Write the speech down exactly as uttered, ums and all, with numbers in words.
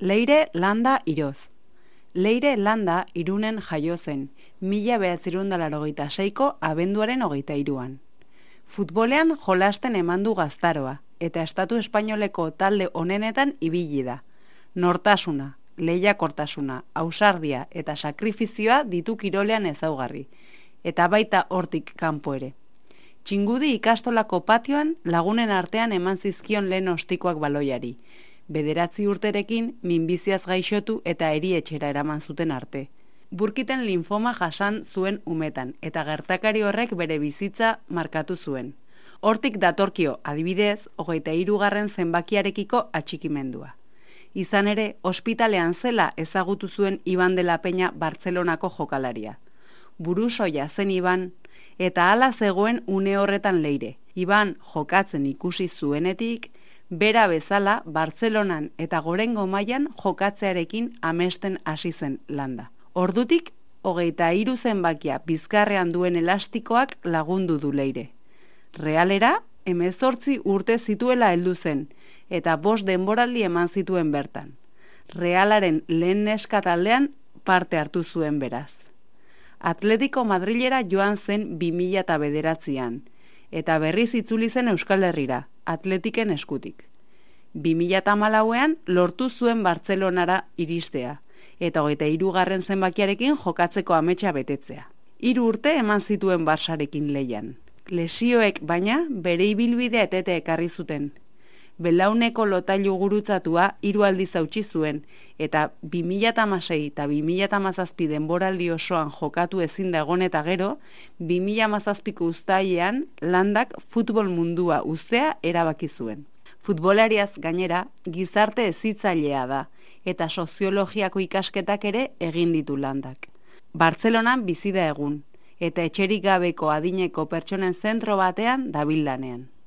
Leire Landa Iroz. Leire Landa Irunen jaio zen, mila bederatzirun eta laurogeita seiko abenduaren hogeita hiruan. Futbolean jolasten eman du gaztaroa, eta estatu espainoleko talde onenetan ibili da. Nortasuna, lehiakortasuna, ausardia eta sakrifizioa ditu kirolean ezaugarri, eta baita hortik kanpo ere. Txingudi ikastolako patioan lagunen artean eman zizkion lehen ostikoak baloiari, bederatzi urterekin minbiziaz gaixotu eta erietxera eraman zuten arte. Burkiten linfoma jasan zuen umetan, eta gertakari horrek bere bizitza markatu zuen. Hortik datorkio, adibidez, hogeita hirugarren zenbakiarekiko atxikimendua. Izan ere, ospitalean zela ezagutu zuen Iban de la Peña Bartzelonako jokalaria. Burusoia zen Iban, eta hala zegoen une horretan Leire. Iban jokatzen ikusi zuenetik, bera bezala Bartzelonan eta gorengo mailan jokatzearekin amesten hasi zen Landa. Ordutik, hogeita hiru zenbakia bizkarrean duen elastikoak lagundu du Leire. Realera, hemezortzi urte zituela heldu zen, eta bost denboraldi eman zituen bertan. Realaren lehen neska taldean parte hartu zuen beraz. Atletico Madrilera joan zen bi mila bederatzian, eta berriz itzuli zen Euskal Herrira, Atletiken eskutik. bi mila hamalauean lortu zuen Bartzelonara iristea, eta hogeita hirugarren zenbakiarekin jokatzeko ametsa betetzea. Hiru urte eman zituen Barsarekin lehian. Lesioek baina bere ibilbidea etete ekarri zuten. Belauneko lotailu gurutzatua hiru aldiz hautsi zuen, eta bi mila hamasei eta bi mila hamazazpi denboraldi osoan jokatu ezin da egon eta gero, bi mila hamazazpiko uztailean Landak futbol mundua uztea erabaki zuen. Futbolariaz gainera, gizarte hezitzailea da, eta soziologiako ikasketak ere egin ditu Landak. Bartzelonan bizi da egun, eta etxerik gabeko adineko pertsonen zentro batean dabil lanean.